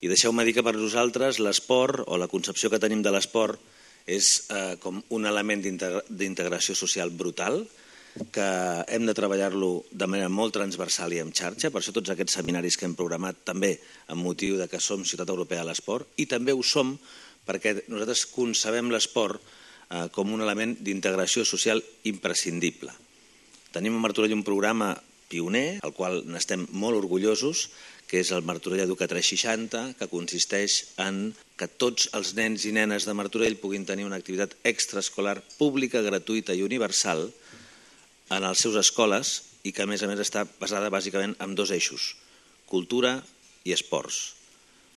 I deixeu-me dir que per nosaltres l'esport o la concepció que tenim de l'esport és com un element d'integració social brutal, que hem de treballar-lo de manera molt transversal i en xarxa, per això tots aquests seminaris que hem programat també amb motiu de que som Ciutat Europea de l'Esport, i també ho som perquè nosaltres concebem l'esport com un element d'integració social imprescindible. Tenim a Martorell un programa pioner, al qual n'estem molt orgullosos, que és el Martorell Educa 360, que consisteix en que tots els nens i nenes de Martorell puguin tenir una activitat extraescolar pública, gratuïta i universal en les seves escoles i que a més està basada bàsicament en dos eixos, cultura i esports.